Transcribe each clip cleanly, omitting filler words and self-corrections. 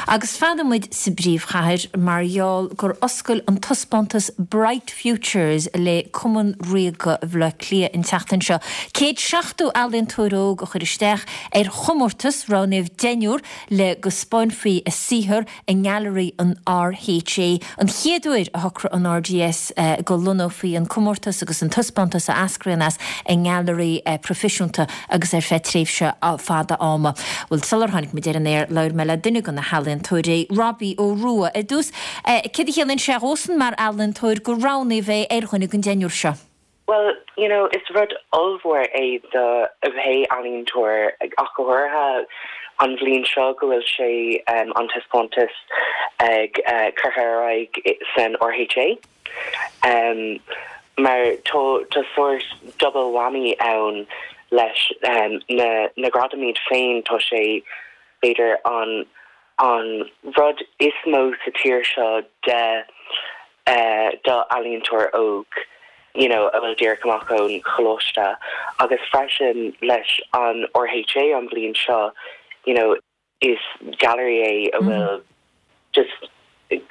Agus fanfaidh muid sa bpríomhchathair mar gheall gur oscail an taispeántas Bright Futures le Cumann Ríoga Bhaile Átha Cliath an tseachtain seo. 170 ealaíontóir óg a chuir isteach ar chomórtas, roghnaíodh deichniúr le go 'spáinfí a saothar i nGailearaí an RHA. An chéad uair a shocraigh an RDS go lonnófaí an comórtas agus an taispeántas a eascraíonn as i ngailearaí proifisiúnta agus ar feadh tréimhse fada ama. Bhuel, sular tháinig muid ar an aer, labhair mé le duine de na healaíontóirí, Robbie Ó Rua. Ar dtús, céard a chiallaíonn sé dhósan mar ealaíontóir gur roghnaíodh é ar dhuine den deichniúr seo? Bhuel, you know, is rud ollmhór é do pé ealaíontóir, ach go háirithe an bhliain seo go bhfuil sé, an taispeántas ag curtha ar aghaidh san RHA. Mar tá tá sórt double whammy ann leis na na gradaim iad féin, tá sé b'fhéidir an an rud is mó sa tír seo de do ealaíontóir óg you know a bhfuil díreach amach ón choláiste agus freisin leis an RHA an bhliain seo you know is gallery é a bhfuil just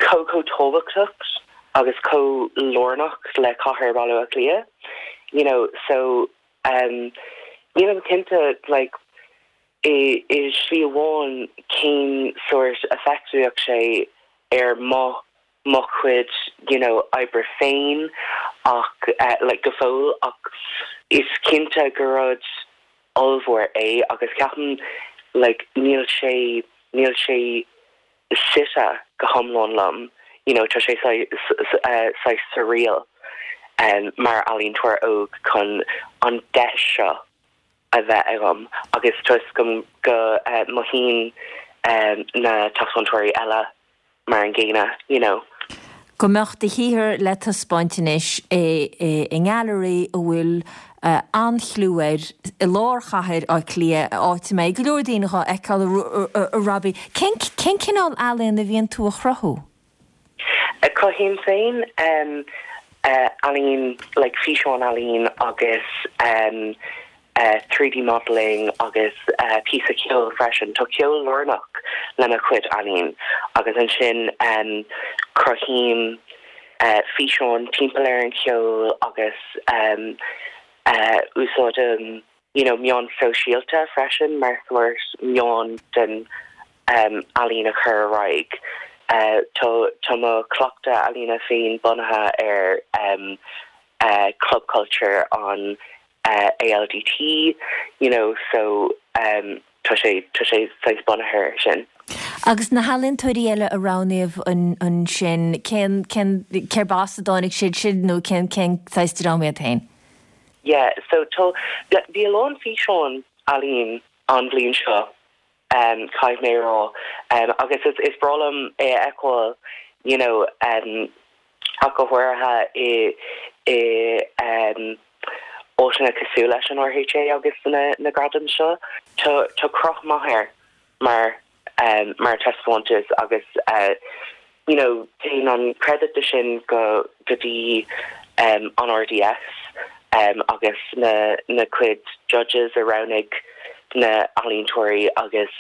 chomh chomh tábhachtach agus chomh lárnach le cathair Bhaile Átha Cliath you know so um nílim cinnte like i i slí amháin cén sórt effect a bheadh sé ar mo mo chuid you know oibre féin ach like go fóill ach is cinnte gur rud ollmhór é agus ceapaim like níl sé níl sé suite go hiomlán liom you know tá sé saghas surreal mar ealaíontóir óg chun an deis seo a bheith agam agus tá 'fhios agam go mothaíonn na taispeántóirí eile mar an gcéanna, you know. Go mbeadh do shaothar le taispeáint anois i ngailearaí a bhfuil an-chliú air i lár chathair Átha Cliath, áit a mbeidh go leor daoine dhá fheiceáil, a Robbie. Cén cineál ealaíon a bhíonn tú a chruthú? Cruthaím féin ealaín, like físeán ealaín agus 3D modelling agus píosa ceoil freisin. Tá ceol lárnach le mo chuid ealaín agus ansin cruthaím físeán timpeall ar an cheol agus úsáidim you know meáin sóisialta freisin mar sórt meán den ealaín a chur ar aghaidh. Tá tá mo chleachtadh ealaíne féin bunaithe ar club culture an ALDT you know so tá sé tá sé saghas bunaithe air sin. Agus na healaíontóirí eile a roghnaíodh ansin, cén cén cérb as a dtáinig siad sin nó cén cén saghas dream iad féin? Yeah so tá bhí a lán físeán ealaín an bhliain seo caithfidh mé a rá agus is is breá liom é a fheiceáil you know ach go háirithe i i áiteanna cosúil leis an RHA agus na na gradaim seo. Tá tá cruth maith air mar mar taispeántas agus you know téann an credit de sin go go dtí an RDS agus na na cuid judges a roghnaigh na ealaíontóirí agus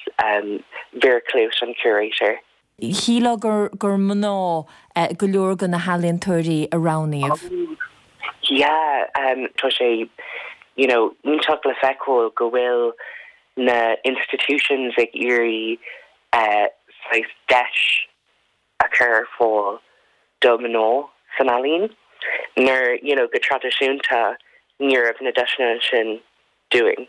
Vera Klute an curator. Shílfeá gur gur mná go leor de na healaíontóirí a roghnaíodh. Yeah, tá sé you know iontach le feiceáil go bhfuil na institutions ag iarraidh saghas deis a chur ar fáil do mná san ealaín nuair you know go traidisiúnta ní raibh na deiseanna sin dúinn.